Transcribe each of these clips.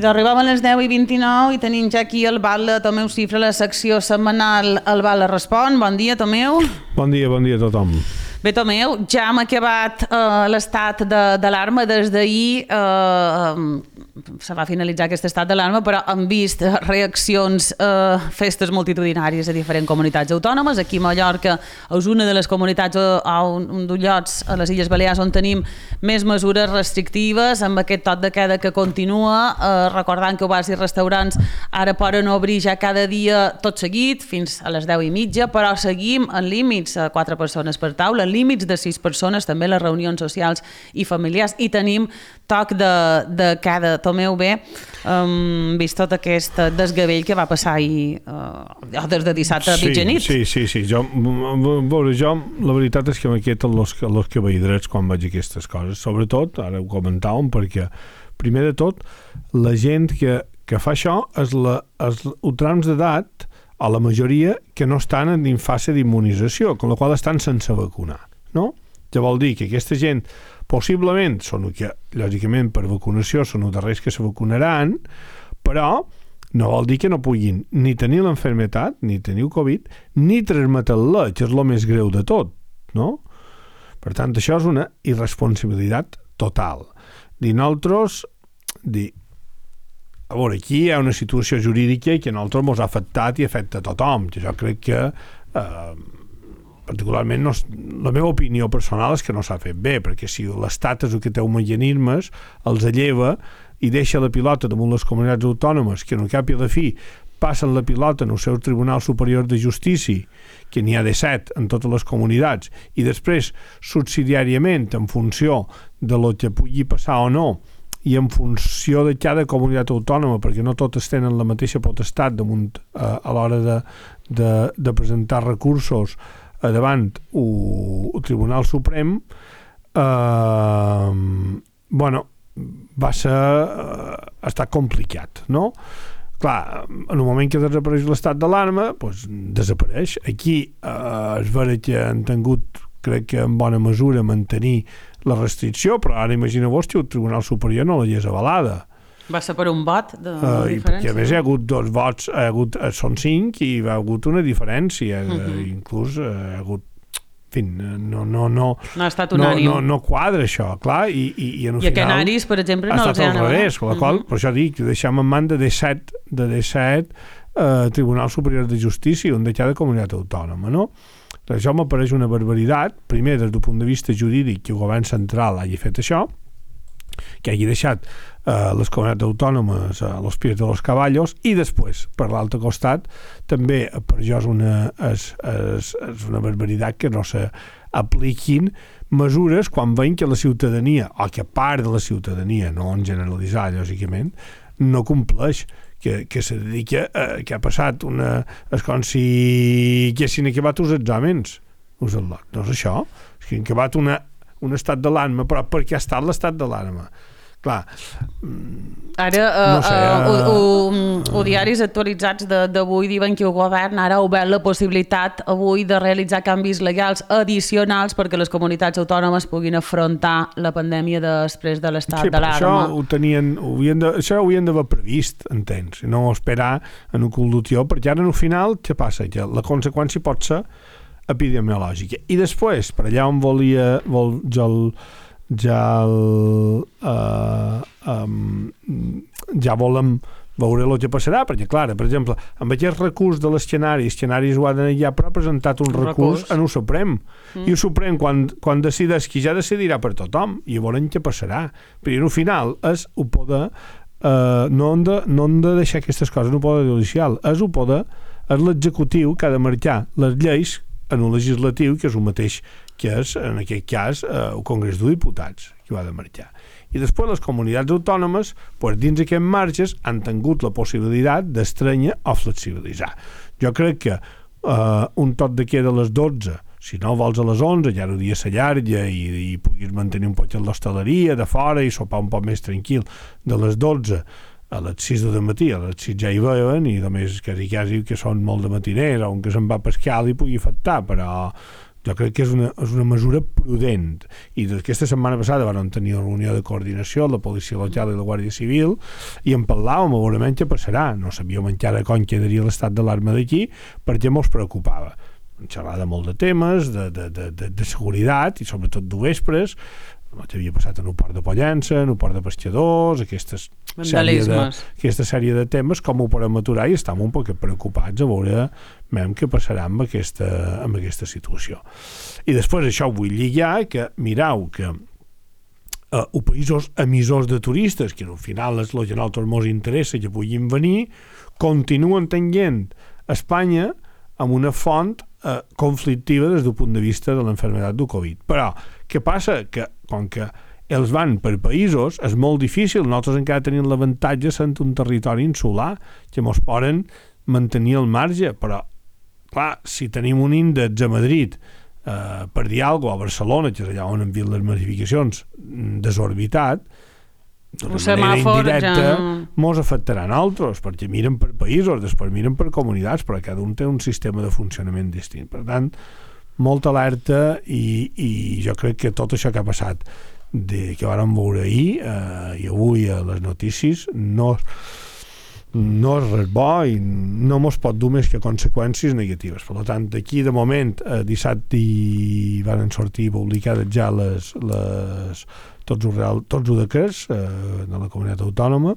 I d'arribar a les 10:29 i tenim ja aquí el Bala Tomeu Cifra, la secció setmanal El Bala Respon. Bon dia, Tomeu. Bon dia a tothom. Bé, Tomeu, ja hem acabat l'estat d'alarma. Des d'ahir se va finalitzar aquest estat d'alarma, però hem vist reaccions, festes multitudinàries a diferents comunitats autònomes. Aquí a Mallorca és una de les comunitats un dels llocs a les Illes Balears on tenim més mesures restrictives, amb aquest toc de queda que continua, recordant que bars i restaurants ara poden obrir ja cada dia tot seguit, fins a les 10:30, però seguim en límits a 4 persones per taula, límits de 6 persones, també les reunions socials i familiars, i tenim toc de queda. Tomeu, bé, vist tot aquest desgavell que va passar ahir, des de dissabte a mitjanit. Sí. Jo, la veritat és que m'inquieten els caballidrets quan veig aquestes coses. Sobretot, ara ho comentàvem, perquè, primer de tot, la gent que fa això és els trams d'edat, a la majoria, que no estan en fase d'immunització, amb la qual estan sense vacunar, no? Ja vol dir que aquesta gent possiblement són que, lògicament, per vacunació són els darrers que se vacunaran, però no vol dir que no puguin ni tenir l'enfermetat, ni tenir el Covid, ni transmetre-la, que és el més greu de tot, no? Per tant, això és una irresponsabilitat total. Nosaltres, a veure, aquí hi ha una situació jurídica que a nosaltres ens ha afectat i afecta a tothom, que jo crec que particularment la meva opinió personal és que no s'ha fet bé, perquè si l'Estat és el que té un mecanismes, els lleva i deixa la pilota damunt les comunitats autònomes, que en cap i a la fi passen la pilota en el seu Tribunal Superior de Justícia, que n'hi ha de 7 en totes les comunitats, i després, subsidiàriament, en funció de lo que pugui passar o no, i en funció de cada comunitat autònoma, perquè no totes tenen la mateixa potestat damunt a l'hora de presentar recursos davant el Tribunal Suprem, ha estat complicat, no? Clar, en el moment que desapareix l'estat d'alarma, doncs desapareix. Aquí és vera que han tingut, crec que en bona mesura, mantenir la restricció, però ara imagineu-vos que el Tribunal Superior no l'hagués avalada. Va ser per un vot de diferència? I a més hi ha hagut 2 vots, són 5 i hi ha hagut una diferència, inclús hi ha hagut, en fi, no ha estat unànim. No quadra això, clar, i en el final... I a Canaris, per exemple, no els han avalat. Per la qual, per això dic, deixem en mans de 17 Tribunal Superior de Justícia, un de cada comunitat autònoma, no? Això m'apareix una barbaritat, primer des del punt de vista jurídic que el govern central hagi fet això, que hagi deixat les comunitats autònomes a los pies de los caballos, i després, per l'altre costat, també per jo és una barbaritat que no s'apliquin mesures quan veiem que la ciutadania, o que part de la ciutadania, no en generalitzar, lògicament, no compleix, que se dedica que ha passat és com si haguessin acabat els exàmens. No és això, és que han acabat un estat d'alarma, però per què ha estat l'estat d'alarma? Clar, ara no sé, diaris actualitzats d'avui diuen que el govern ara ha obert la possibilitat avui de realitzar canvis legals addicionals perquè les comunitats autònomes puguin afrontar la pandèmia després de l'estat d'alarma. Això ho havien d'haver previst, entens, i no esperar en un cul d'utió, perquè ara al final què passa? Que la conseqüència pot ser epidemiològica. I després, per allà on ja volem veure el que passarà, perquè clar, per exemple, amb aquest recurs de l'escenari ho ha d'anar ja, però ha presentat un recurs en el Suprem, i el Suprem quan decideix, que ja decidirà per tothom, i veurem què passarà, però al final és el poder, no hem de deixar aquestes coses en el poder judicial, és l'executiu que ha de marcar les lleis en un legislatiu, que és el mateix que és, en aquest cas, el Congrés dels Diputats, que ho ha de marcar. I després les comunitats autònomes, dins d'aquests marges, han tingut la possibilitat d'estrenyar o flexibilitzar. Jo crec que un toc de queda a les 12, si no vols a les 11, ja el dia s'allarga i puguis mantenir un poc l'hostaleria de fora i sopar un poc més tranquil de les 12 a les 6 del matí, a les 6 ja hi veuen, i només quasi que són molt de matiners, on que se'n va a pescar li pugui afectar, però jo crec que és una mesura prudent, i aquesta setmana passada vam tenir una reunió de coordinació la policia local i la Guàrdia Civil i en parlàvem, veurem què passarà, no sabíem encara com quedaria l'estat d'alarma d'aquí perquè mos preocupava xerrar de molt de temes, de seguretat i sobretot de vespres, el que havia passat en un port de Pollença, en un port de pescadors, aquesta sèrie de temes, com ho podem aturar, i estem un poc preocupats a veure què passarà amb aquesta situació. I després això ho vull lligar, que mireu que els països emissors de turistes, que al final és el que a nosaltres ens interessa que puguin venir, continuen tenint Espanya amb una font conflictiva des del punt de vista de l'enfermedad del Covid. Però què passa? Que com que els van per països és molt difícil, nosaltres encara tenim l'avantatge sent un territori insular que ens poden mantenir al marge, però clar, si tenim un índex a Madrid per dir alguna cosa, a Barcelona, que és allà on han vist les massificacions desorbitat, d'una manera indirecta mos afectarà a nosaltres, perquè miren per països, després miren per comunitats, però cada un té un sistema de funcionament distint. Per tant, molta alerta i jo crec que tot això que ha passat que vàrem veure ahir i avui a les notícies no és res bo i no mos pot dur més que conseqüències negatives. Per tant, d'aquí de moment dissabte van sortir publicades ja tots els decrets de la comunitat autònoma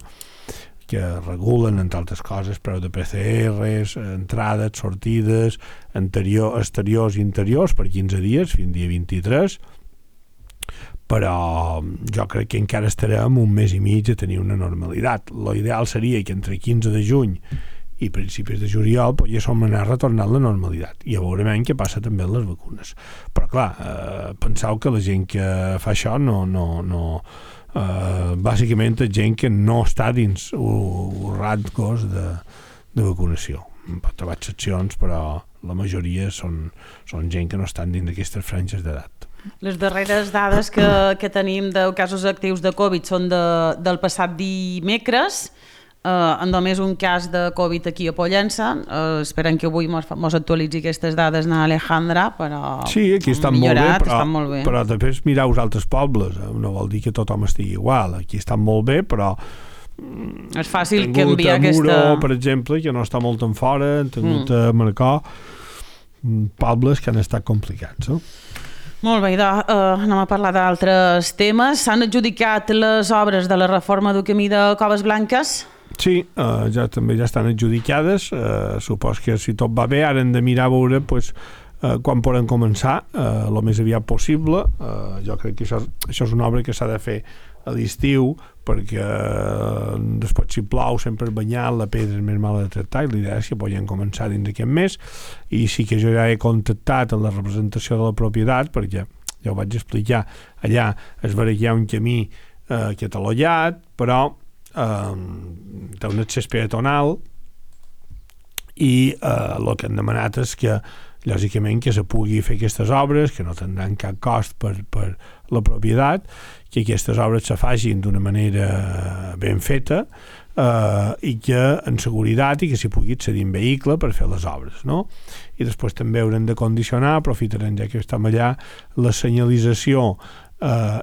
que regulen, entre altres coses, preu de PCRs, entrades, sortides, exteriors i interiors per 15 dies, fins dia 23, però jo crec que encara estarem un mes i mig a tenir una normalitat. L'ideal seria que entre 15 de juny i principis de juliol poguéssim anar retornant la normalitat i ja veurem què passa també amb les vacunes. Però clar, penseu que la gent que fa això bàsicament és gent que no està dins els rangos de vacunació. Pot trobar excepcions, però la majoria són gent que no estan dins d'aquestes franges d'edat. Les darreres dades que tenim de casos actius de Covid són del passat dimecres, en només un cas de Covid aquí a Pollença. Esperem que avui mos actualitzi aquestes dades na Alejandra, però sí, aquí estan molt bé, però després mireu els altres pobles, no vol dir que tothom estigui igual, aquí estan molt bé, però és fàcil canviar aquesta... Muro, per exemple, que no està molt en fora, han tingut a Marcó pobles que han estat complicats, no? Molt bé, anem a parlar d'altres temes. S'han adjudicat les obres de la reforma del camí de Coves Blanques? Sí, també ja estan adjudicades. Supos que si tot va bé ara hem de mirar a veure quan poden començar, el més aviat possible. Jo crec que això és una obra que s'ha de fer a l'estiu, perquè després si plou sempre banyat, la pedra és més mala de tractar i l'idea és que podien començar dins d'aquest mes. I sí que jo ja he contactat amb la representació de la propietat, perquè ja ho vaig explicar, allà es veurà que hi ha un camí catalogat, però té un accés peatonal i el que han demanat és que lògicament que se pugui fer aquestes obres, que no tindran cap cost per la propietat, que aquestes obres se facin d'una manera ben feta i que en seguretat i que s'hi pugui accedir en vehicle per fer les obres, no? I després també haurem de condicionar, aprofitarem ja que estem allà, la senyalització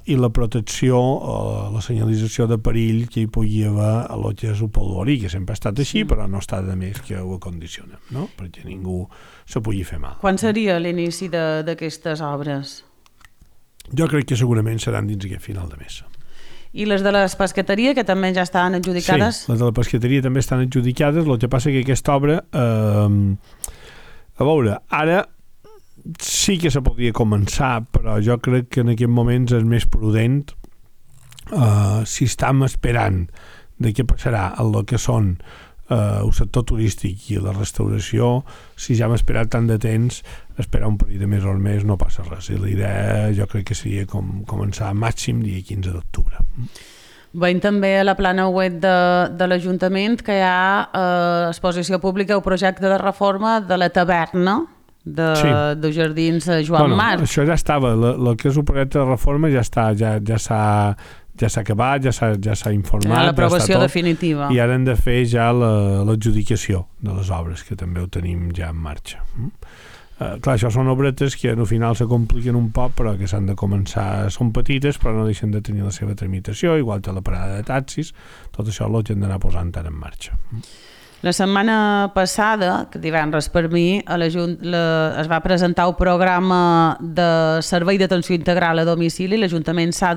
i la protecció, la senyalització de perill que hi pugui haver a lo que és el polvorí, que sempre ha estat així, però no està de més que ho acondicionem, no? Perquè ningú se pugui fer mal. Quan seria l'inici d'aquestes obres? Jo crec que segurament seran dins aquest final de mes. I les de les pescateries, que també ja estan adjudicades? Sí, les de la pescateria també estan adjudicades. El que passa que aquesta obra, a veure, ara sí que se podria començar, però jo crec que en aquests moments és més prudent si estem esperant de què passarà en el que són el sector turístic i la restauració. Si ja hem esperat tant de temps, esperar un parell de mesos més no passa res, i la idea jo crec que seria començar màxim dia 15 d'octubre. Veiem també a la plana web de l'Ajuntament que hi ha exposició pública o projecte de reforma de la taverna de Jardins Joan Marc. Això ja estava, el que és el projecte de reforma ja està, ja s'ha acabat, ja s'ha informat, l'aprovació definitiva, i ara hem de fer ja l'adjudicació de les obres, que també ho tenim ja en marxa. Clar, això són obretes que al final se compliquen un poc, però que s'han de començar, són petites però no deixen de tenir la seva tramitació, igual que la parada de taxis, tot això ho hem d'anar posant ara en marxa. La setmana passada, que divendres per mi, es va presentar el programa de servei d'atenció integral a domicili. L'Ajuntament s'ha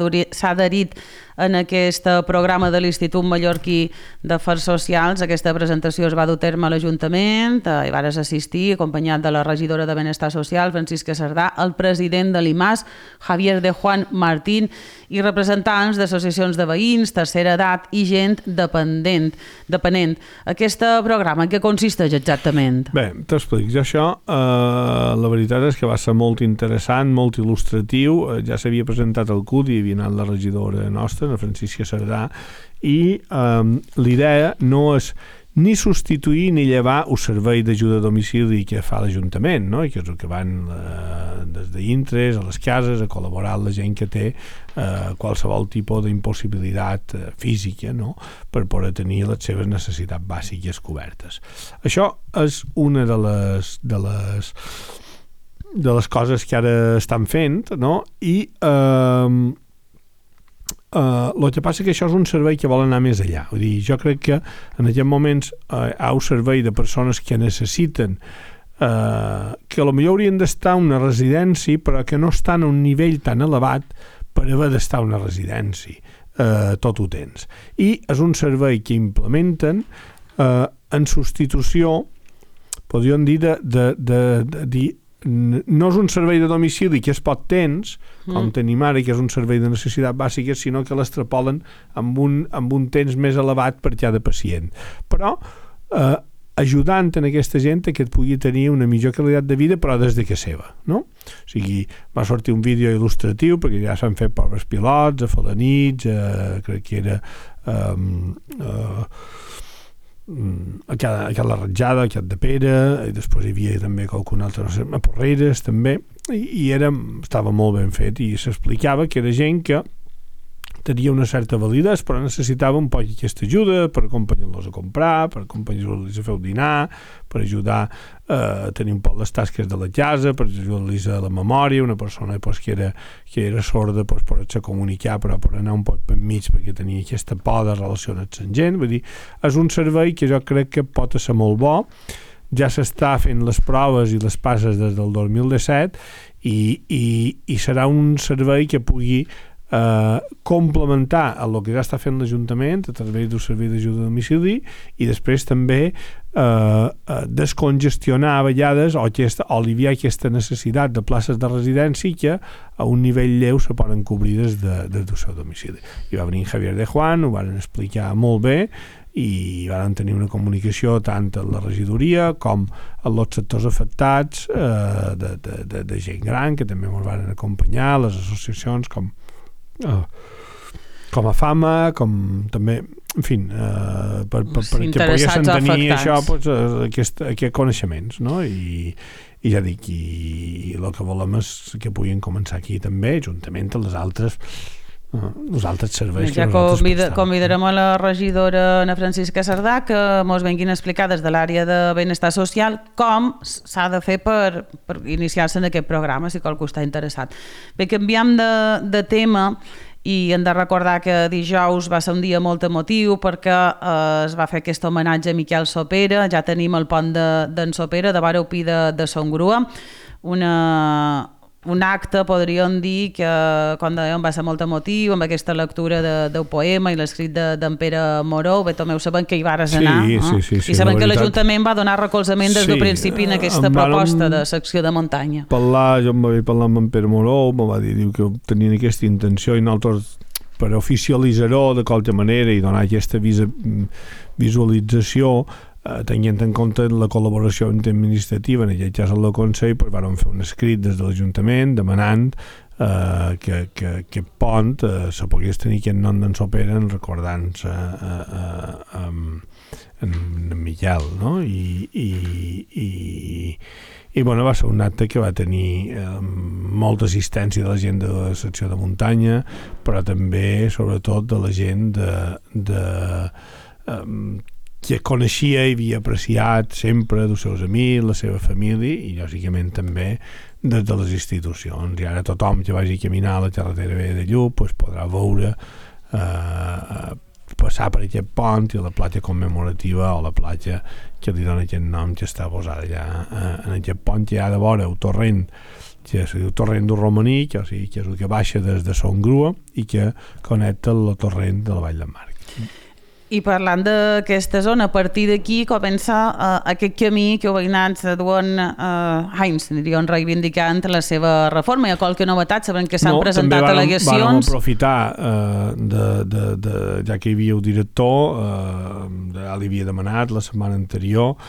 adherit en aquest programa de l'Institut Mallorquí d'Afers Socials. Aquesta presentació es va dur a terme a l'Ajuntament, hi vares assistir, acompanyat de la regidora de Benestar Social, Francisca Cerdà, el president de l'IMAS, Javier de Juan Martín, i representants d'associacions de veïns, tercera edat i gent dependent. Aquest programa, en què consisteix exactament? Bé, t'explico. Jo això, la veritat és que va ser molt interessant, molt il·lustratiu. Ja s'havia presentat al CUT i havia anat la regidora nostra, la Francisca Cerdà, i l'idea no és ni substituir ni llevar el servei d'ajuda a domicili que fa l'Ajuntament, no? I que és el que van des d'intres a les cases a col·laborar amb la gent que té qualsevol tipus d'impossibilitat física, no? Per poder tenir les seves necessitats bàsiques cobertes. Això és una de les coses que ara estan fent, no? I el que passa que això és un servei que vol anar més enllà. Vull dir, jo crec que en aquests moments hi ha un servei de persones que necessiten que potser haurien d'estar en una residència però que no estan a un nivell tan elevat per haver d'estar a una residència tot ho temps. I és un servei que implementen en substitució, podríem dir, no és un servei de domicili que es pot temps, com tenim ara, que és un servei de necessitat bàsica, sinó que l'extrapolen amb un temps més elevat per cada pacient. Però ajudant en aquesta gent que et pugui tenir una millor qualitat de vida, però des de casa seva, no? O sigui, va sortir un vídeo il·lustratiu, perquè ja s'han fet proves pilots, a Felanitx, crec que era a la Ratjada, a de Pere, i després hi havia també qualcun altre, no sé, a Porreres també, i estava molt ben fet i s'explicava que era gent que tenia una certa validesa però necessitava un poc aquesta ajuda per acompanyar-los a comprar, per acompanyar-los a fer el dinar, per ajudar a tenir un poc les tasques de la casa, per ajudar-los a la memòria, una persona que era sorda poder-se comunicar però per anar un poc per mig perquè tenia aquesta por de relacionar-se amb gent. Vull dir, és un servei que jo crec que pot ser molt bo. Ja s'està fent les proves i les passes des del 2017 i serà un servei que pugui complementar el que ja està fent l'Ajuntament a través del servei d'ajuda a domicili i després també descongestionar a vegades o aliviar aquesta necessitat de places de residència que a un nivell lleu se poden cobrir des del seu domicili. I va venir Javier de Juan, ho van explicar molt bé i van tenir una comunicació tant a la regidoria com als sectors afectats de gent gran que també ens van acompanyar, les associacions com a Fama, com també, en fi, perquè poguessin tenir això, aquests coneixements, no? I ja dic, i el que volem és que puguin començar aquí també, juntament amb els altres serveis que nosaltres prestem. Convidarem a la regidora Ana Francisca Cerdà que ens venguin a explicar des de l'àrea de benestar social com s'ha de fer per iniciar-se en aquest programa, si qualcú està interessat. Bé, canviem de tema i hem de recordar que dijous va ser un dia molt emotiu perquè es va fer aquest homenatge a Miquel Sopera. Ja tenim el pont d'en Sopera, de Vara Upí de Son Grua, un acte, podríem dir, que, com dèiem, va ser molt emotiu, amb aquesta lectura del poema i l'escrit d'en Pere Moró. Bé, també ho sabem que hi vares anar. Sí, i sabem que l'Ajuntament va donar recolzament des del principi en aquesta proposta de secció de muntanya. Jo em vaig parlar amb en Pere Moró, em va dir que tenien aquesta intenció i nosaltres, per oficialitzar-ho de qualque manera i donar aquesta visualització, tenint en compte la col·laboració administrativa, en aquest cas el Consell, vam fer un escrit des de l'Ajuntament demanant que aquest pont se pogués tenir aquest nom d'en Sopera recordant-se en Miquel, no? I va ser un acte que va tenir molta assistència de la gent de la secció de muntanya, però també, sobretot, de la gent que coneixia i havia apreciat sempre dels seus amics, la seva família i lògicament també des de les institucions. I ara tothom que vagi a caminar a la carretera vella de Lluc pues, podrà veure passar per aquest pont i la platja commemorativa o la platja que li dona aquest nom que està posada allà en aquest pont que hi ha de vora el torrent que es diu torrent del Romanic, o sigui, que és el que baixa des de Son Grua i que connecta el torrent de la Vall d'en Marc. I parlant d'aquesta zona, a partir d'aquí comença aquest camí que els veïnats duen anys, diríem, reivindicant la seva reforma. Hi ha qualque novetat? Sabem que s'han presentat al·legacions. També vam aprofitar, ja que hi havia el director, ja li havia demanat la setmana anterior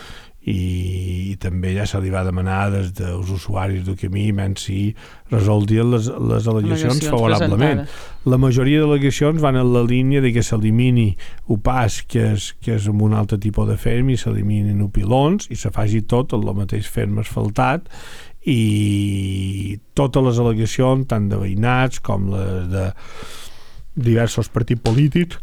i també ja se li va demanar des dels usuaris del camí si resoldien les al·legacions favorablement. La majoria d'al·legacions van en la línia de que s'elimini el pas que és amb un altre tipus de ferm i s'eliminin els pilons i se faci tot el mateix ferm asfaltat i totes les al·legacions tant de veïnats com les de diversos partits polítics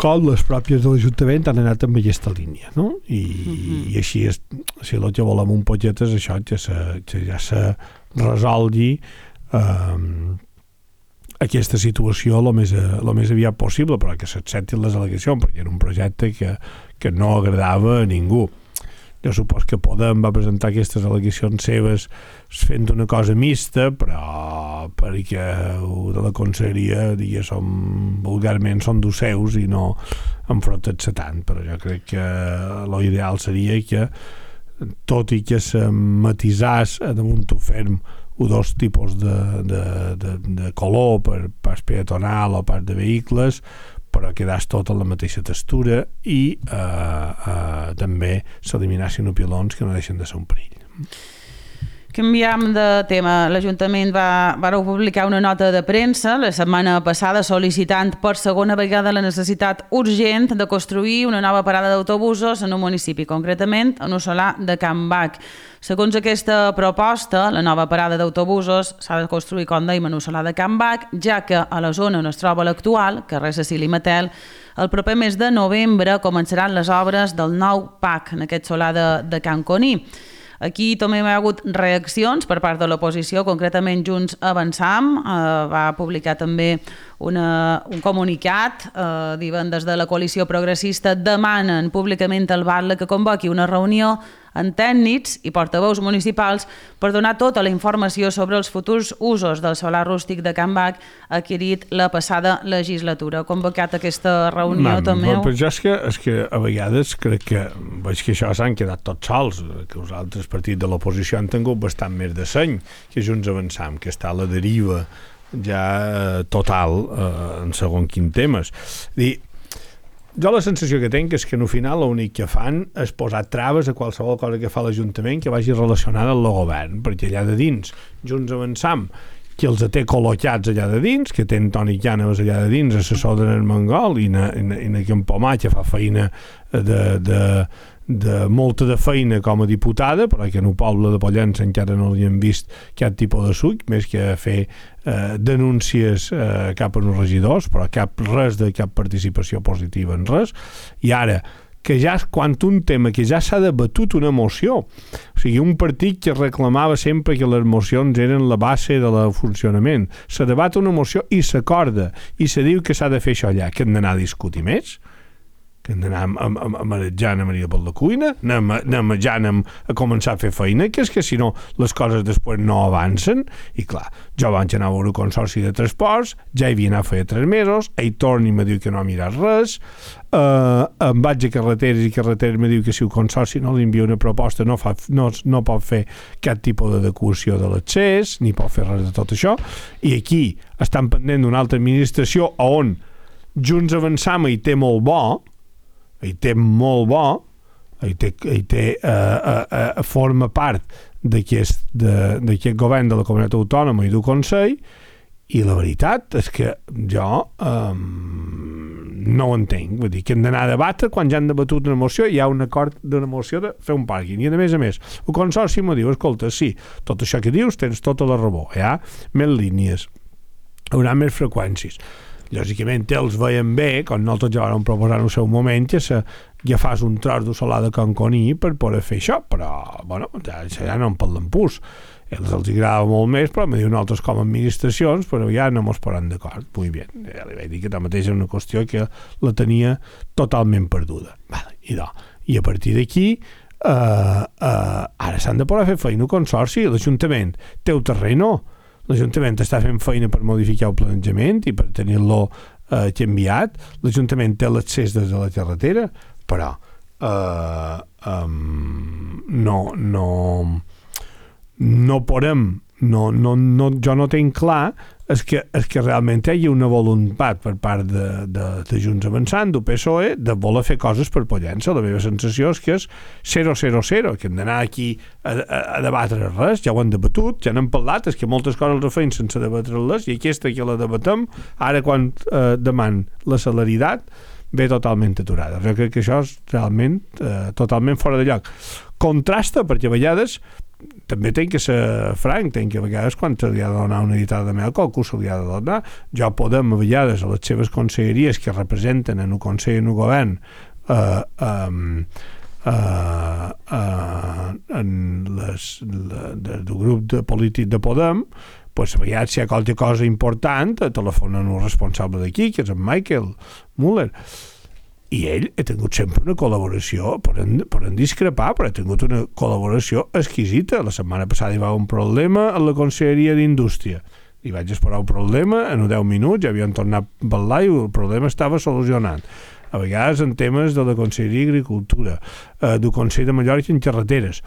com les pròpies de l'Ajuntament han anat amb aquesta línia, no? I així és, si el que volem un poquet és això, que ja se resolgui aquesta situació el més aviat possible, però que s'acceptin les al·legacions, perquè era un projecte que no agradava a ningú. Jo supos que Podem va presentar aquestes al·legacions seves fent una cosa mixta, però perquè de la conselleria vulgarment són dos seus i no enfrontar-se tant, però jo crec que l'ideal seria que tot i que se matisàs damunt el ferm o dos tipus de color per pas peatonal o pas de vehicles, però quedàs tot en la mateixa textura i també s'eliminassin els pilons que no deixen de ser un perill. Canviem de tema. L'Ajuntament va publicar una nota de premsa la setmana passada sol·licitant per segona vegada la necessitat urgent de construir una nova parada d'autobusos en un municipi, concretament en el solar de Can Bac. Segons aquesta proposta, la nova parada d'autobusos s'ha de construir, com dèiem, en el solar de Can Bac, ja que a la zona on es troba l'actual, carrer Cecili Matel, el proper mes de novembre començaran les obres del nou PAC en aquest solar de Can Coní. Aquí també hi ha hagut reaccions per part de l'oposició, concretament Junts Avançam va publicar també un comunicat, diuen des de la coalició progressista demanen públicament al Batlle que convoqui una reunió amb tècnics i portaveus municipals per donar tota la informació sobre els futurs usos del solar rústic de Can Bac adquirit la passada legislatura. Ha convocat aquesta reunió també? Però jo és que a vegades crec que veig que això s'han quedat tots sols, que els altres partits de l'oposició han tingut bastant més de seny que Junts Avançam, que està a la deriva ja total en segons quins temes. Jo la sensació que tinc és que al final l'únic que fan és posar traves a qualsevol cosa que fa l'Ajuntament que vagi relacionada amb el govern, perquè allà de dins Junts Avançam, que els té col·locats allà de dins, que tenen Toni Llanes allà de dins, assessor de Mongol i en Campomà, que fa feina de molta de feina com a diputada, però que en el poble de Pollença encara no li han vist cap tipus de suc, més que fer denúncies cap als regidors, però res de cap participació positiva en res. I ara, que ja quan un tema que ja s'ha debatut una moció, o sigui, un partit que reclamava sempre que les mocions eren la base del funcionament, se debat una moció i s'acorda, i se diu que s'ha de fer això allà, que hem d'anar a discutir més? Que hem d'anar a marejar a Maria per la cuina, anem a començar a fer feina, que és que si no les coses després no avancen. I clar, jo vaig anar a veure el consorci de transports, ja hi havia anat feia 3 mesos, ell torna i me diu que no ha mirat res, em vaig a carreteres me diu que si el consorci no li envia una proposta no pot fer cap tipus d'adequació de l'accés, ni pot fer res de tot això, i aquí estan pendent d'una altra administració on Junts Avançam hi té molt bo, forma part d'aquest govern de la comunitat autònoma i del Consell, i la veritat és que jo no ho entenc. Vull dir que hem d'anar a debatre quan ja han debatut una moció, hi ha un acord d'una moció de fer un pàrquing, i a més, el consorci m'ho diu, escolta, sí, tot això que dius tens tota la raó, hi ha més línies, hi haurà més freqüències. lògicament ells veien bé, com nosaltres ja vam proposar en el seu moment, que agafàs un tros de solar de Conconí per poder fer això, però bueno, ja no en parlen pus. Els agrada molt més, però me diuen nosaltres com a administracions, però ja no mos posen d'acord. Molt bé, ja li vaig dir que tanmateix és una qüestió que la tenia totalment perduda. Vale, i a partir d'aquí ara s'han de poder fer feina al consorci. L'Ajuntament té el terreno, l'Ajuntament està fent feina per modificar el planejament i per tenir-lo canviat, l'Ajuntament té l'accés des de la carretera, però no podem, jo no tinc clar és que realment hi ha una voluntat per part de Junts Avançant, del PSOE, de voler fer coses per Pollença. La meva sensació és que és 0-0-0, que hem d'anar aquí a debatre res, ja ho han debatut, ja n'hem parlat, és que moltes coses les feien sense debatre-les, i aquesta que la debatem, ara quan deman la celeritat, ve totalment aturada. Jo crec que això és realment totalment fora de lloc. Contrasta, perquè a vegades també tenc que ser franc, tenc que a vegades quan se li ha de donar una editada de mel, qualcú se li ha de donar. Jo podem a vegades a les seves conselleries que representen en el Consell i en el Govern del grup polític de Podem, pues a vegades si hi ha qualque cosa important telefonen un responsable d'aquí, que és en Michael Müller, i ell ha tingut sempre una col·laboració, poden discrepar, però ha tingut una col·laboració exquisita. La setmana passada hi va un problema a la Conselleria d'Indústria. Li vaig esperar el problema, en 10 minuts ja havien tornat a parlar i el problema estava solucionat. A vegades en temes de la Conselleria d'Agricultura, del Consell de Mallorca en carreteres.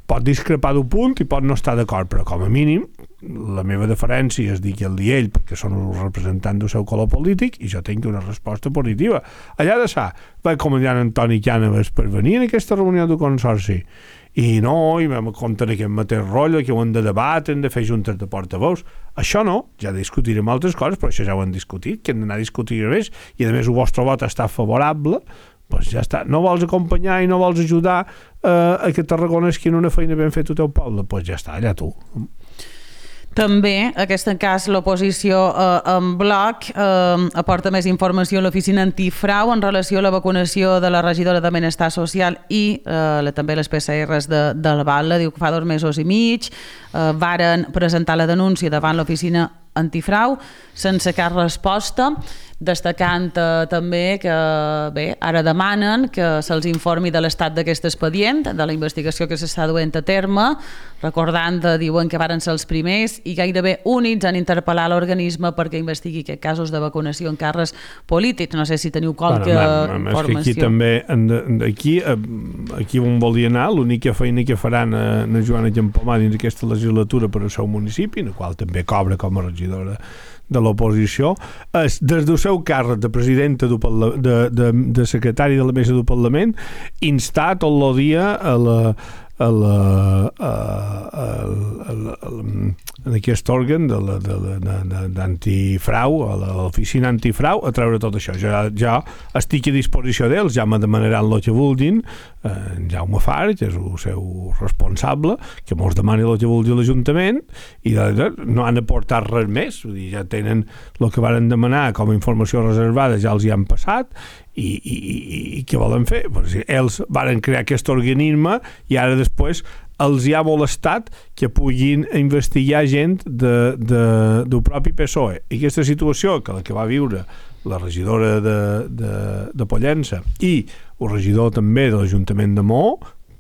Pot discrepar d'un punt i pot no estar d'acord, però com a mínim la meva deferència és dir que el dia ell, perquè són els representants del seu color polític, i jo tinc una resposta positiva. Allà de sa, va comandant Antoni Cànovas per venir en aquesta reunió del Consorci, i vam comptar aquest mateix rotllo, que ho hem de debatre, hem de fer juntes de portaveus. Això no, ja discutirem altres coses, però això ja ho hem discutit, que hem d'anar a discutir més, i a més el vostre vot està favorable, doncs ja està. No vols acompanyar i no vols ajudar a que Tarragona esquini una feina ben feta al teu poble? Doncs ja està, allà tu. També, en aquest cas, l'oposició en bloc aporta més informació a l'oficina antifrau en relació a la vacunació de la regidora de Benestar Social i també les PCRs del Batlle. Diu que fa 2 mesos i mig varen presentar la denúncia davant l'oficina antifrau sense cap resposta, destacant també que ara demanen que se'ls informi de l'estat d'aquest expedient, de la investigació que s'està duent a terme, recordant, diuen que varen ser els primers i gairebé únics en interpel·lar l'organisme perquè investigui aquests casos de vacunació en càrrecs polítics. No sé si teniu qualque informació. Aquí també, aquí on volia anar, l'única feina que faran a Joana Campomà dins aquesta legislatura per al seu municipi, en el qual també cobra com a regidora de l'oposició, és des del seu càrrec de presidenta de secretari de la mesa del Parlament instar tot el dia en aquest òrgan d'antifrau, a l'oficina antifrau, a treure tot això. Jo estic a disposició d'ells, ja me demanaran el que vulguin, en Jaume Farg, que és el seu responsable, que mos demani el que vulgui l'Ajuntament, i no han aportat res més. Vull dir, ja tenen el que varen demanar com a informació reservada, ja els hi han passat, i què volen fer? Ells varen crear aquest organisme i ara després els hi ha molestat que puguin investigar gent del propi PSOE. I aquesta situació, que la que va viure la regidora de Pollença i el regidor també de l'Ajuntament de Maó,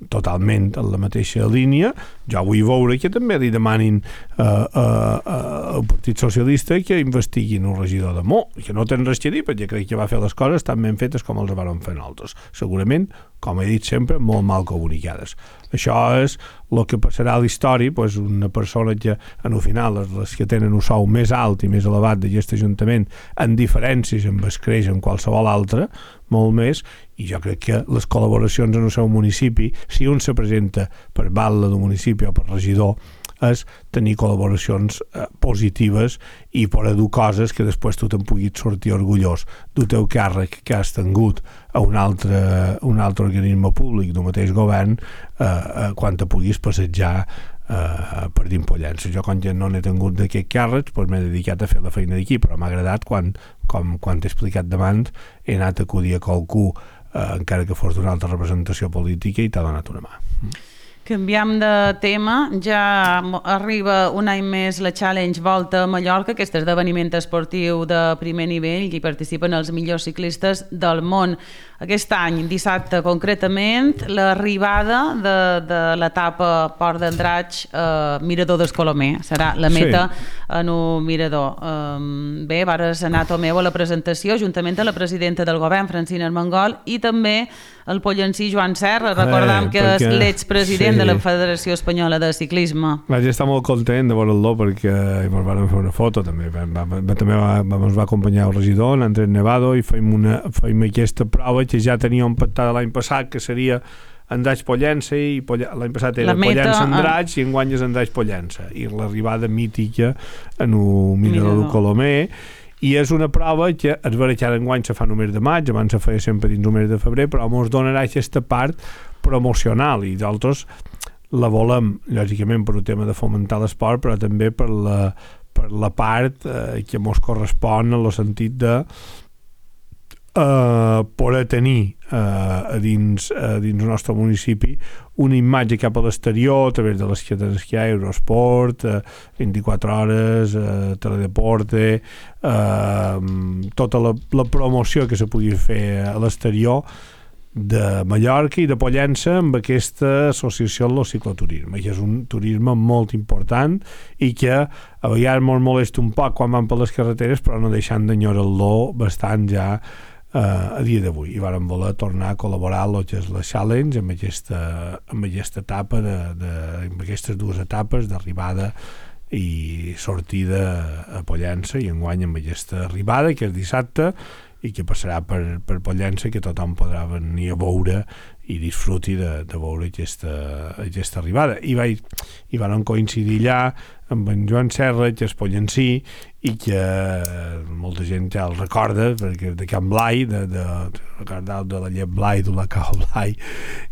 totalment en la mateixa línia, jo vull veure que també li demanin al Partit Socialista que investiguin el regidor de Maó, que no tenen res a dir, perquè crec que va fer les coses tan ben fetes com els van fer nosaltres. Segurament, com he dit sempre, molt mal comunicades. Això és el que passarà a la història, doncs una persona que, en el final, les que tenen un sou més alt i més elevat d'aquest Ajuntament, en diferències amb es creix en qualsevol altre, molt més, i jo crec que les col·laboracions en el seu municipi, si un se presenta per batlle del municipi o per regidor, és tenir col·laboracions positives i poder dur coses que després tu te'n puguis sortir orgullós del teu càrrec que has tingut a un altre organisme públic del mateix govern quan te puguis passejar per dins Pollença. Jo, quan ja no n'he tingut d'aquest càrrec, doncs m'he dedicat a fer la feina d'aquí, però m'ha agradat quan t'he explicat d'abans, he anat a acudir a qualcú, encara que fos d'una altra representació política, i t'ha donat una mà. Canviem de tema, ja arriba un any més la Challenge Volta a Mallorca, aquest esdeveniment esportiu de primer nivell i hi participen els millors ciclistes del món. Aquest any, dissabte concretament, l'arribada de l'etapa Port d'Andratx Mirador d'Escolomé. Serà la meta en un mirador. Bé, vares anar, Tomeu, a la presentació, juntament amb la presidenta del govern, Francina Armengol, i també el pollencí Joan Serra. Recordam que és l'expresident de la Federació Espanyola de Ciclisme. Vaig estar molt content de veure'l perquè ens vam fer una foto també. També ens va acompanyar el regidor, l'Andrés Nevado, i fèiem aquesta prova que ja teníem pactada l'any passat, que seria Andratx-Pollença, i l'any passat era Pollença-Andratx i enguany és Andratx-Pollença, i l'arribada mítica en un mirador de Colomé. I és una prova que es veurà que ara enguany se fa el mes de maig, abans se feia sempre dins el mes de febrer, però ens donarà aquesta part promocional, i nosaltres la volem, lògicament, per un tema de fomentar l'esport, però també per la part que ens correspon en el sentit de poder tenir dins el nostre municipi una imatge cap a l'exterior a través de les cadenes que hi ha, Eurosport, 24 hores, Teledeporte, tota la promoció que se pugui fer a l'exterior de Mallorca i de Pollença amb aquesta associació al cicloturisme, que és un turisme molt important i que a vegades ens molesta un poc quan van per les carreteres, però no deixant d'enyorar-lo bastant ja a dia d'avui, i vàrem voler tornar a col·laborar amb el que és la Challenge amb aquesta etapa amb aquestes dues etapes d'arribada i sortida a Pollença, i enguany amb aquesta arribada que és dissabte i que passarà per Pollença, que tothom podrà venir a veure i disfruti de veure aquesta arribada. I van coincidir allà amb en Joan Serra, que és pollencí, i que molta gent ja el recorda, perquè de Can Blai, de la llet Blai, de la Cau Blai,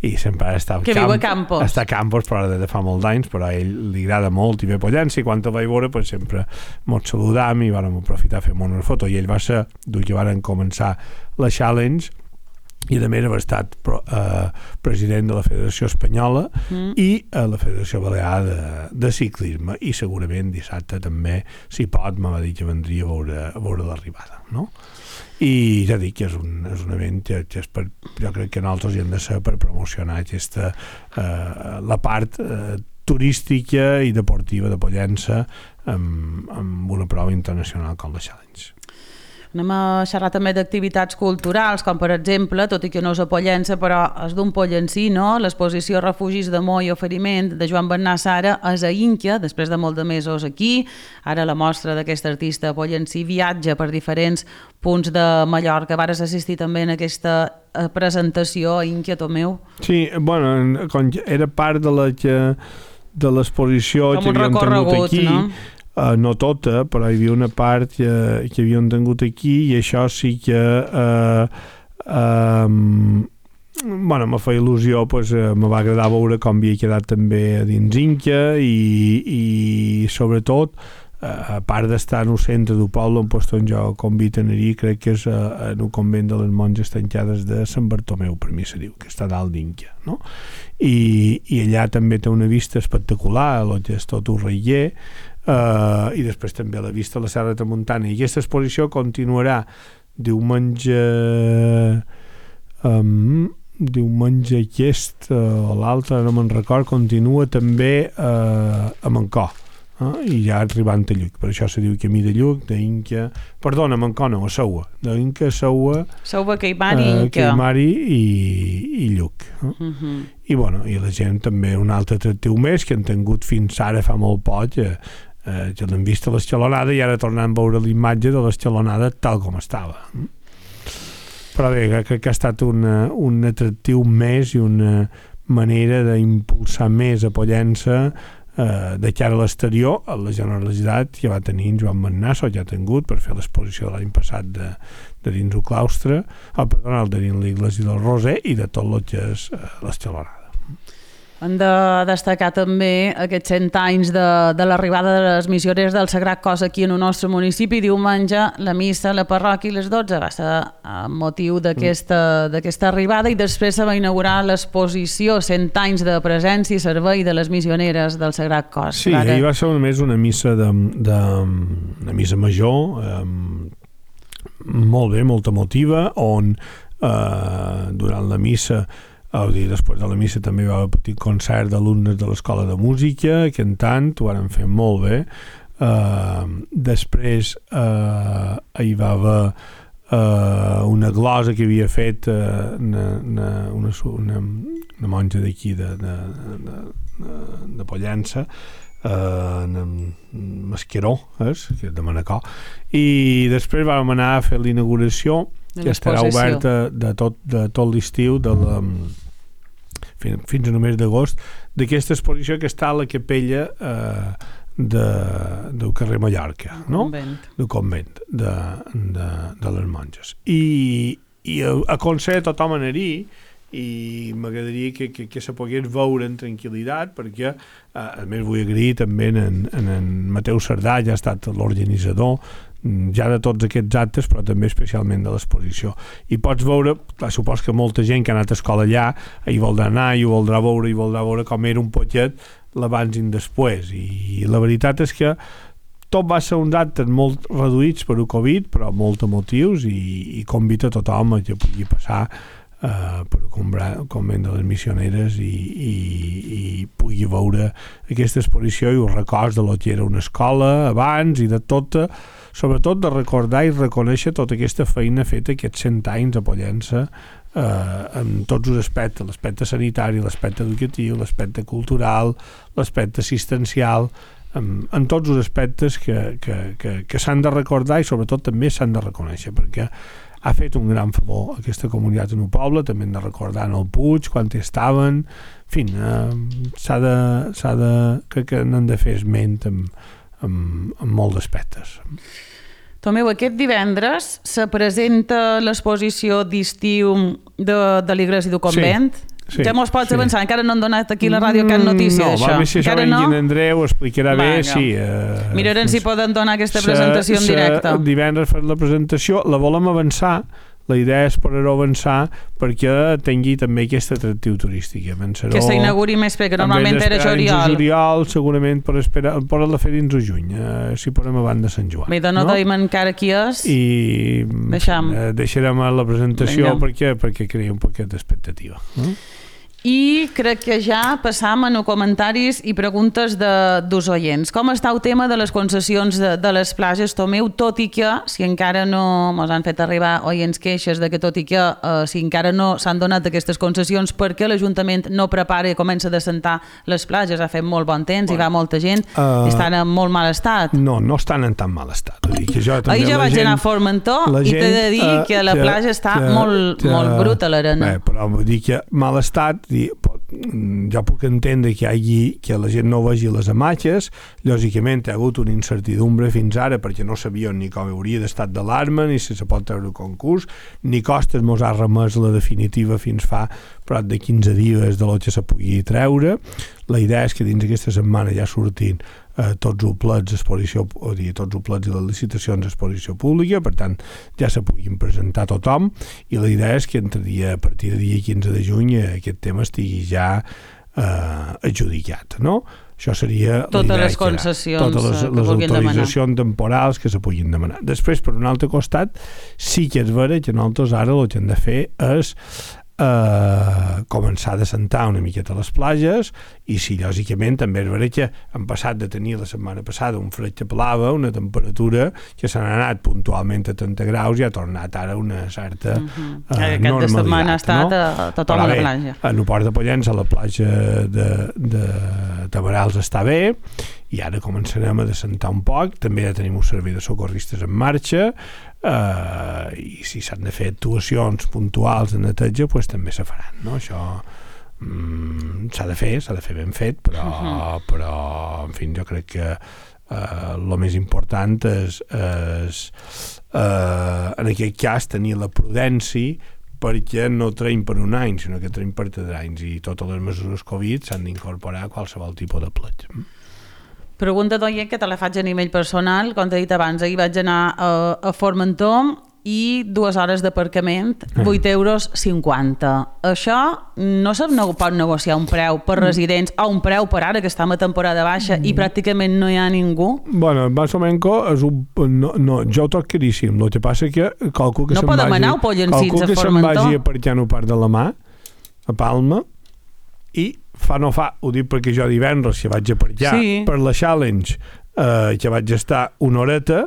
i sempre està que viu a Campos. Està a Campos, però de fa molt d'anys, però a ell li agrada molt i ve Pollença, i quan el vaig veure pues, sempre ens saludam i vam aprofitar a fer una foto, i ell va ser dur que van començar la Challenge, i a més ha estat president de la Federació Espanyola i la Federació Balear de Ciclisme, i segurament dissabte també, si pot, m'ha dit que vendria a veure l'arribada, no? I ja dic que és un event que és jo crec que nosaltres hi hem de ser per promocionar la part turística i deportiva de Pollença amb una prova internacional com la Challenge. Anem a xerrar també d'activitats culturals, com per exemple, tot i que no és a Pollença, però és d'un pollencí, no? L'exposició Refugis d'Amor i Oferiment de Joan Bernat Sara és a Inca, després de molt de mesos aquí. Ara la mostra d'aquest artista pollencí viatja per diferents punts de Mallorca. Vares assistir també en aquesta presentació a Inca, Tomeu? Sí, bueno, era part de l'exposició que havíem tingut aquí, no? No tota, però hi havia una part que havíem tingut aquí, i això sí que me fa il·lusió, me va agradar veure com havia quedat també dins Inca, i sobretot a part d'estar en el centre del poble on jo convito a anar-hi, crec que és en el convent de les monges tancades de Sant Bartomeu, per mi se diu, que està dalt d'Inca, no? I allà també té una vista espectacular, el que és tot un reier, i després també la vista a la Serra de Tramuntana, i aquesta exposició continuarà diumenge aquest o l'altre, no me'n record, continua també a Mancor, i ja arribant a Lluc, per això se diu camí de Lluc, d'Inca, perdona, Mancor no, a Seua, d'Inca, Seua, Queimari, Inca, Queimari i Lluc, i bueno, i la gent també un altre atractiu més que han tingut fins ara fa molt poc, que l'hem vist a l'escalonada, i ara tornant a veure l'imatge de l'escalonada tal com estava. Però bé, crec que ha estat un atractiu més i una manera d'impulsar més a Pollença de cara a l'exterior, a la generositat que va tenir en Joan Bernat, o ja ha tingut, per fer l'exposició de l'any passat de dins el claustre, el de dins l'Iglésia del Roser, i de tot el que és l'escalonada. Hem de destacar també aquests 100 anys de l'arribada de les missioneres del Sagrat Cos aquí en el nostre municipi. Diumenge la missa a la parròquia a les 12 va ser amb motiu d'aquesta arribada, i després se va inaugurar l'exposició 100 anys de presència i servei de les missioneres del Sagrat Cos. Sí, ahir va ser només una missa una missa major, molt bé, molt emotiva, on durant la missa, després de la missa també hi va haver un petit concert d'alumnes de l'Escola de Música cantant, ho van fer molt bé. Després hi va haver una glosa que havia fet una monja d'aquí de Pollença, Masqueró, que és de Manacor, i després vam anar a fer l'inauguració, que estarà oberta de tot l'estiu fins a només d'agost, d'aquesta exposició que està a la capella del carrer Mallorca, no? Del convent de les monges, i aconseguir tothom anar-hi, i m'agradaria que se pogués veure en tranquil·litat, perquè a més vull agrair també en Mateu Cerdà, ja ha estat l'organitzador ja de tots aquests actes, però també especialment de l'exposició, i pots veure, supos que molta gent que ha anat a escola allà hi voldrà anar, i ho voldrà veure com era un poquet l'abans i el després, i la veritat és que tot va ser uns actes molt reduïts per el Covid, però molt emotius, i convida a tothom a que pugui passar per el convent de les missioneres i pugui veure aquesta exposició i els records de lo que era una escola abans, i de tot, sobretot de recordar i reconèixer tota aquesta feina feta aquests 100 anys a Pollença, en tots els aspectes, l'aspecte sanitari, l'aspecte educatiu, l'aspecte cultural, l'aspecte assistencial, en tots els aspectes que s'han de recordar i sobretot també s'han de reconèixer, perquè ha fet un gran favor a aquesta comunitat en el poble. També hem de recordar en el Puig, quan hi estaven, en fi, crec que n'han de fer esment en molts aspectes. Tomeu, aquest divendres se presenta l'exposició d'estiu de l'Iglésia del Convent. Sí, ja mos pots avançar, encara no han donat aquí a la ràdio cap notícia d'això. No, va més si això en Andreu ho explicarà bé, sí. Mirarem si poden donar aquesta presentació en directe. Divendres fer la presentació, la volem avançar, la idea és poder-ho avançar perquè tingui també aquest atractiu turístic. Que s'inauguri més, perquè normalment era juliol. Segurament per la fer dins de juny, si podem abans de Sant Joan. Bé, no deim encara qui és. I deixarem la presentació perquè crea un poquet d'expectativa. I crec que ja passam a comentaris i preguntes dels oients. Com està el tema de les concessions de les platges, Tomeu, tot i que, si encara no mos han fet arribar oients queixes de que tot i que si encara no s'han donat aquestes concessions perquè l'Ajuntament no prepara i comença a descentar les platges, ha fet molt bon temps, hi va molta gent, estan en molt mal estat. No estan en tan mal estat. Ahir ja vaig anar a Formentor i t'he de dir que la platja està molt bruta, l'arena. Però vull dir que mal estat, jo puc entendre que la gent no vegi les imatges. Lògicament hi ha hagut una incertidumbre fins ara perquè no sabien ni com hauria d'estat d'alarma, ni si se pot treure concurs, ni Costes mos ha remès la definitiva fins fa prop de 15 dies de lo que se pugui treure. La idea és que dins aquesta setmana ja surtin tots els plets d'exposició, o dir, tots els plets i les licitacions d'exposició pública, per tant ja se puguin presentar a tothom, i la idea és que a partir del dia 15 de juny aquest tema estigui ja adjudicat, no? Això seria totes les concessions, totes les autoritzacions temporals que se puguin demanar. Després, per un altre costat, sí que és vera que nosaltres ara el que hem de fer és començar a descentar una miqueta les platges, i sí, lògicament també és vera que hem passat de tenir la setmana passada un fred que pelava, una temperatura que s'ha anat puntualment a 30 graus i ha tornat ara una certa normalitat. Aquesta setmana ha estat tothom a la platja. A el Port de Pollença, a la platja de Tabarals està bé, i ara començarem a descentar un poc. També ja tenim un servei de socorristes en marxa, i si s'han de fer actuacions puntuals de neteja, doncs també se faran, no? Això s'ha de fer ben fet, però en fi, jo crec que el més important és en aquest cas tenir la prudència perquè no traiem per un any, sinó que traiem per 3 anys, i totes les mesures Covid s'han d'incorporar a qualsevol tipus de plet. Pregunta d'oient que te la faig a nivell personal. Com t'he dit abans, ahir vaig anar a Formentor i 2 hores d'aparcament, 8,50 €. Això no se pot negociar un preu per residents o un preu per ara, que estem a temporada baixa i pràcticament no hi ha ningú? Bueno, más o menys és un... No, jo ho trobo caríssim. El que passa que calculo que no podem anar a Pollencins a Formentor. Se'n vagi a partir part de la mà, a Palma, i no fa, ho dic perquè jo divendres que vaig a partir per la Challenge, que vaig estar una horeta,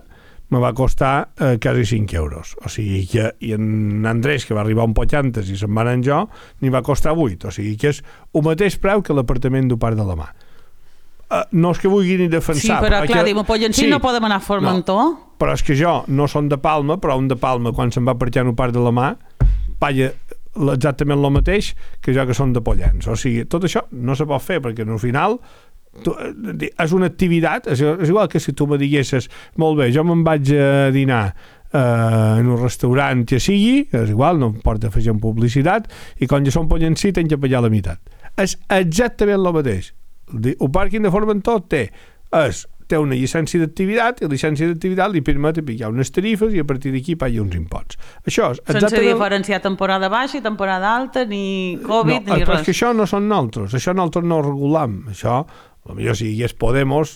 me va costar quasi 5 €. O sigui que, i en Andrés, que va arribar un poc antes i se'n va anar en jo, n'hi va costar 8. O sigui que és el mateix preu que l'apartament d'un part de la mà. No és que vulgui ni defensar. Sí, però clar, diu, a Pollencins no podem anar a Formentor. No, però és que jo no som de Palma, però un de Palma, quan se'n va partir un part de la mà, paga exactament el mateix que jo que som de Pollens. O sigui, tot això no se pot fer, perquè al final és una activitat, és igual que si tu me diguessis, molt bé, jo me'n vaig a dinar en un restaurant que sigui, és igual, no em porta a fer publicitat, i quan jo som Pollencí tenc que pagar la meitat. És exactament el mateix. El pàrquing de Formentor té una llicència d'activitat, i la llicència d'activitat li permet aplicar unes tarifes i a partir d'aquí paga uns imposts. Això és exactament... Sense diferenciar temporada baixa i temporada alta, ni Covid, ni res. Però és que això no són nosaltres, això nosaltres no ho regulam. Això, potser si hi hagués Podemos,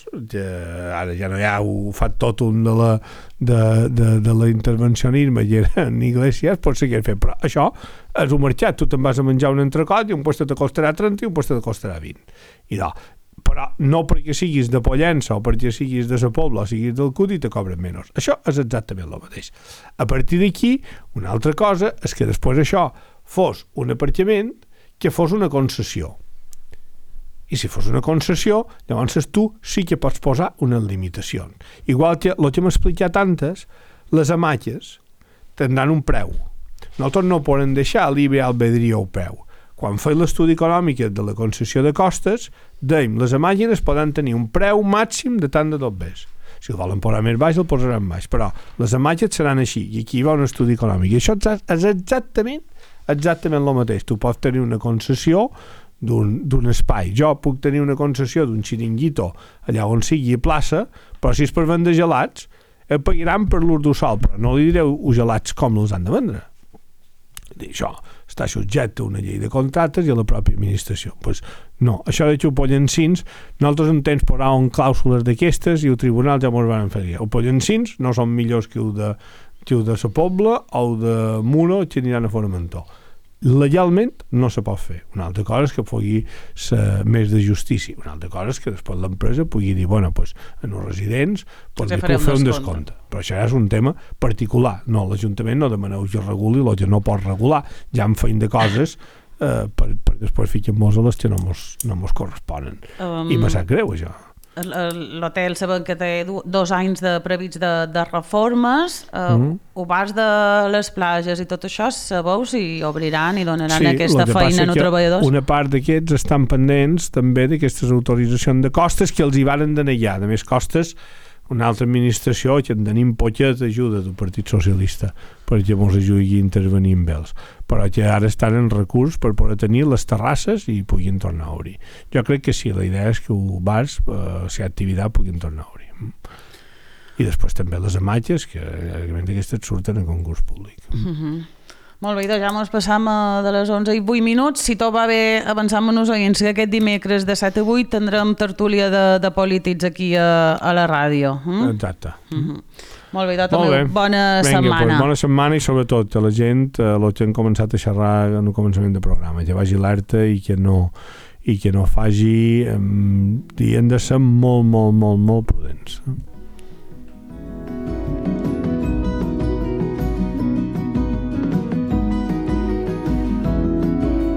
ara ja no hi ha, ho fa tot un de l'intervencionisme i en Iglesias, pot ser que fet, però això és un mercat, tu te'n vas a menjar un entrecot i un puesto te costarà 30 i un puesto te costarà 20. Però no perquè siguis de Pollença o perquè siguis de la Pobla o siguis del Cudi te cobren menys. Això és exactament el mateix. A partir d'aquí, una altra cosa és que després això fos un aparcament que fos una concessió. I si fos una concessió, llavors tu sí que pots posar unes limitacions. Igual que el que hem explicat antes, les hamaques tindran un preu. Nosaltres no podem deixar libre albedrío al preu. Quan feim l'estudi econòmic de la concessió de costes, dèiem, les màquines poden tenir un preu màxim de tant de tot bes. Si el volen posar més baix, el posaran baix, però les màquines seran així, i aquí hi va un estudi econòmic. I això és exactament el mateix. Tu pots tenir una concessió d'un espai. Jo puc tenir una concessió d'un xiringuito allà on sigui plaça, però si és per vendre gelats, pagaran per l'ús del sol, però no li direu gelats com els han de vendre. Això està subjecte a una llei de contractes i a la pròpia administració. Pues no, això de Pollencins, nosaltres en temps posàvem clàusules d'aquestes i el tribunal ja ens van fer dir. El Pollencins no són millors que el de la Pobla o el de Muro que aniran a Formentor. Legalment no se pot fer. Una altra cosa és que pugui ser més de justícia. Una altra cosa és que després l'empresa pugui dir, bueno, pues, en els residents pues, li puc fer un descompte. Però això és un tema particular. No, l'Ajuntament no demaneu que reguli el que no pot regular. Ja en feim de coses per després fiquem-nos a les que no mos corresponen. I me sap greu, això. L'hotel sabem que té 2 anys de previst de reformes, oberts de les platges i tot això, sabeu si obriran i donaran aquesta feina als treballadors? Una part d'aquests estan pendents també d'aquestes autoritzacions de costes que els hi varen denegar. A més, costes, una altra administració que en tenim poquet ajuda del Partit Socialista perquè ens ajudi a intervenir amb ells, però que ara estan en recurs per poder tenir les terrasses i puguin tornar a obrir. Jo crec que sí, la idea és que els bars, si hi ha activitat, puguin tornar a obrir. I després també les hamaques, que aquestes surten a concurs públic. Molt bé, doncs ja ens passam de les 11 i 8 minuts. Si tot va bé, avancem amb els oients que aquest dimecres de 7 a 8 tindrem tertúlia de polítics aquí a la ràdio. Exacte. Molt bé, també bona setmana. Pues, bona setmana i sobretot a la gent, el que han començat a xerrar en el començament del programa, que vagi alerta i que no faci, hem de ser molt, molt, molt, molt prudents.